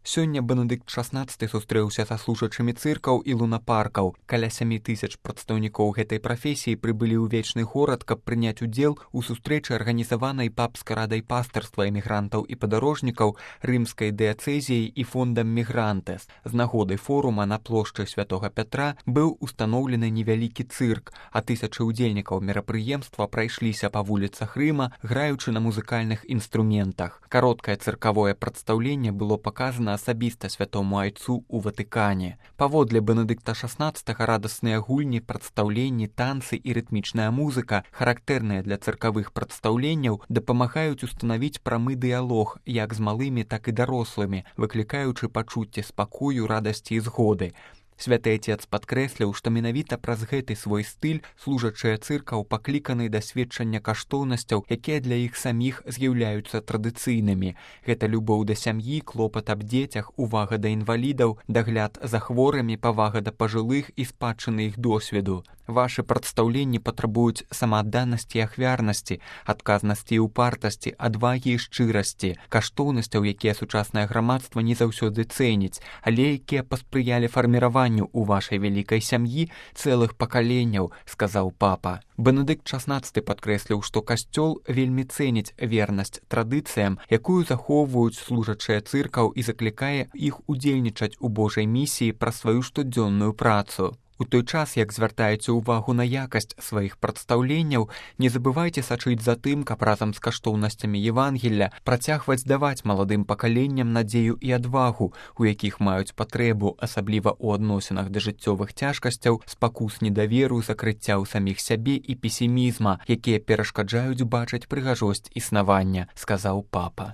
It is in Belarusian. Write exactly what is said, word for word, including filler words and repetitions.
Сёння Бенедыкт шаснаццаты сустрэўся са служачымі цыркаў і лунапаркаў. Каля сямі тысяч прадстаўнікоў гэтай прафесіі прыбылі ў вечны горад, каб прыняць удзел у сустрэчы, арганізаванай папскай радай пастырства эмігрантаў і падарожнікаў, рымскай дыяцэзіяй і фондам Мігрантэс. З нагоды форума на плошчы Святога Пятра быў устаноўлены невялікі цырк, а тысячы ўдзельнікаў мерапрыемства прайшліся па вуліцах Рыма, граючы на музыкальных інструментах. Кароткае цыркавое прадстаўленне было паказана асабіста святому айцу ў Ватыкане. Паводле Бенедыкта шаснаццатага радасныя гульні, прадстаўленні, танцы і рытмічная музыка, характэрныя для цыркавых прадстаўленняў, дапамагаюць устанавіць прамы дыялог як з малымі, так і дарослымі, выклікаючы пачуцце спакою, радасці і згоды. Святы Отец падкрэсліў, што менавіта праз гэты свой стыль служачыя цыркаў пакліканы да сведчання каштоўнасцяў, якія для іх саміх з'яўляюцца традыцыйнымі. Гэта любоў да сям'і, клопат аб дзецях, увага да інвалідаў, дагляд за хворымі, павага да пажылых і спадчыны іх досведу. Вашы прадстаўленні патрабуюць самаадданасці і ахвярнасці, адказнасці і упартасці, адвагі і шчырасці, каштоўнасцяў, якія сучаснае грамадства не заўсёды цэніць, але якія паспрыялі фарміраванню ў вашай вялікай сям'і цэлых пакаленняў, сказаў папа. Бенедыкт шаснаццаты падкрэсліў, што касцёл вельмі цэніць вернасць традыцыям, якую захоўваюць служачыя цыркаў, і заклікае іх удзельнічаць у Божай місіі праз сваю штодзённую працу. У той час, як звяртаеце ўвагу на якасць сваіх прадстаўленняў, не забывайце сачыць за тым, каб разам з каштоўнасцямі Евангелля працягваць даваць маладым пакаленням надзею і адвагу, у якіх маюць патрэбу, асабліва ў адносінах да жыццёвых цяжкасцяў, спакус недаверу, закрыцця ў саміх сябе і песімізма, якія перашкаджаюць бачыць прыгажосць існавання, сказаў папа.